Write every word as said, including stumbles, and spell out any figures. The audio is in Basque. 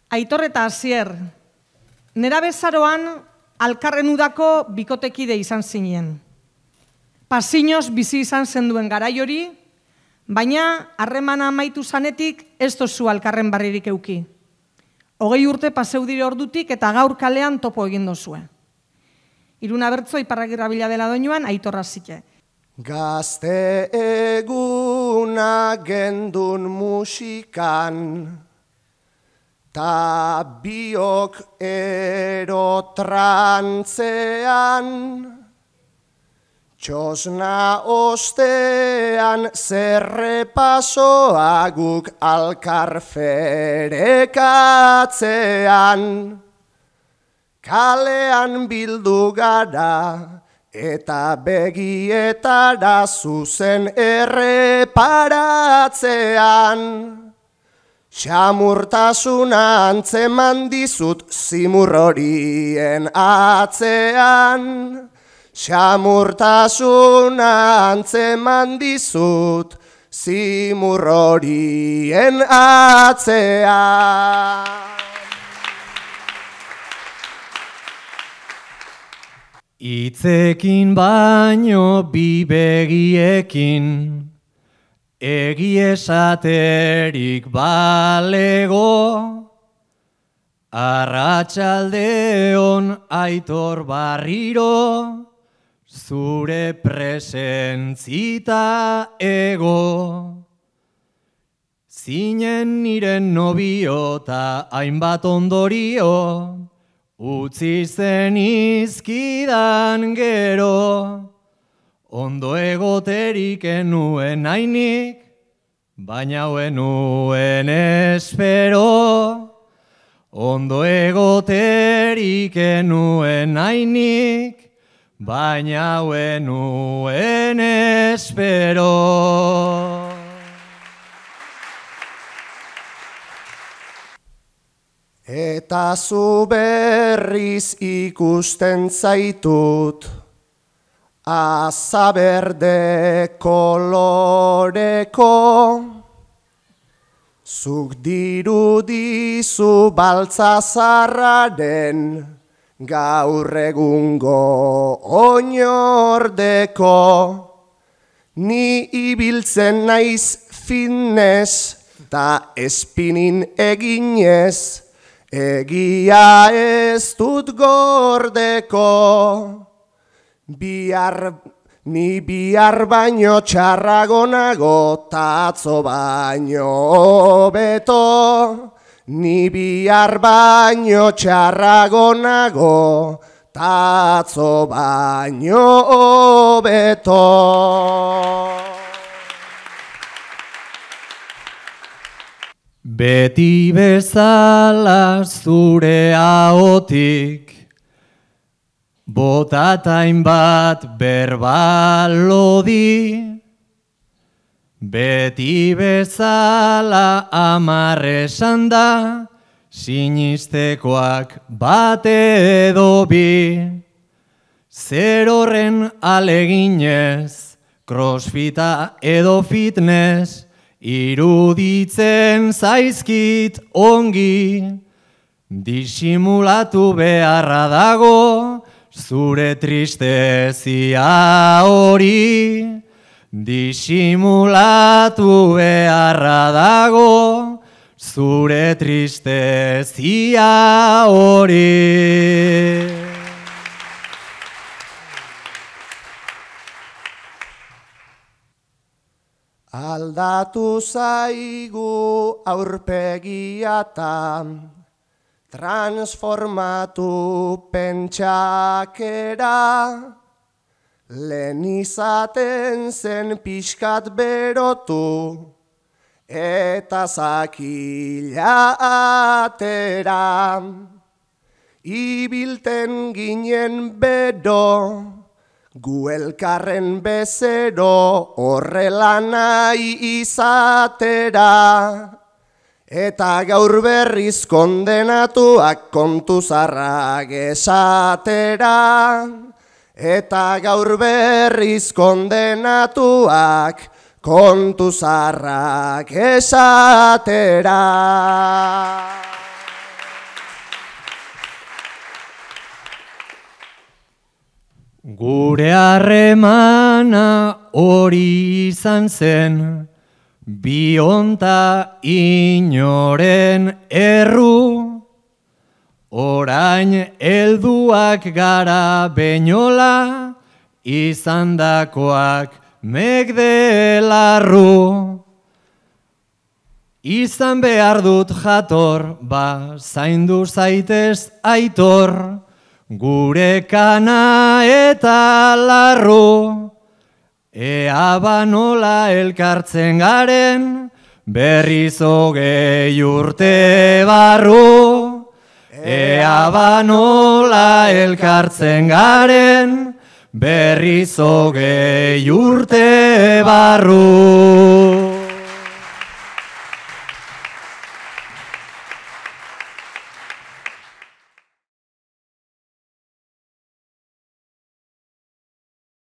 Aitor eta Asier, nera bezaroan alkarren udako bikotekide izan zinen. Pasinoz bizi izan zenduen garai hori, baina harremana amaitu zanetik ez dozu alkarren barririk euki. Hogei urte paseu dire ordutik eta gaur kalean topo egin dozue. Iruna bertzo Iparragirra bila dela doinuan Aitorra zike. Gazte eguna gendun musikan, ta biok erotrantzean, txosna ostean zerrepasoa guk alkarferekatzean, kalean bildu gara, eta begietara zuzen erreparatzean, xamurtasuna antzeman dizut zimur horien atzean, xamurtasuna antzeman dizut zimur horien atzean. Itzekin baino bi begiekin, egi esaterik balego, arratsaldeon Aitor Barriro, zure presentzita ego. Zinen niren nobio ta hainbat ondorio, utzi zen izkidan gero, ondo egoterik enuen hainik, baina enuen espero. Ondo egoterik enuen hainik, baina enuen espero. Eta zu berriz ikusten zaitut, azaberde koloreko, zuk dirudizu baltzazarraren, gaur egungo oinordeko, ni ibiltzen naiz fitness, ta espinin eginez, egia ez dut gordeko, bihar, ni bihar baino txarragonago, ta atzo baino hobeto, ni bihar baino txarragonago, ta atzo baino hobeto. Beti bezala zure ahotik, botatain bat berbalodi, beti bezala amar esan da, sinistekoak bate edo bi, zer horren aleginez, crossfita edo fitness, iruditzen zaizkit ongi, disimulatu beharra dago, zure tristezia hori, disimulatu beharra dago, zure tristezia hori. Aldatu zaigu aurpegiata, transformatu pentsakera, lehen izaten zen pixkat berotu, eta zakila atera, ibilten ginen bero, gu elkarren bezero horrela nahi izatera, eta gaur berriz kondenatuak kontu zarrak esatera, eta gaur berriz kondenatuak kontu zarrak esatera. Gure harremana hori izan zen, bionta inoren erru, orain helduak gara beinola, izandakoak megdelarru. Izan behar dut jator, ba zaindu zaitez aitor, gure kana eta larru. Ea banola elkartzen garen, berriz hogei urte barru. Ea banola elkartzen garen, berriz hogei urte barru.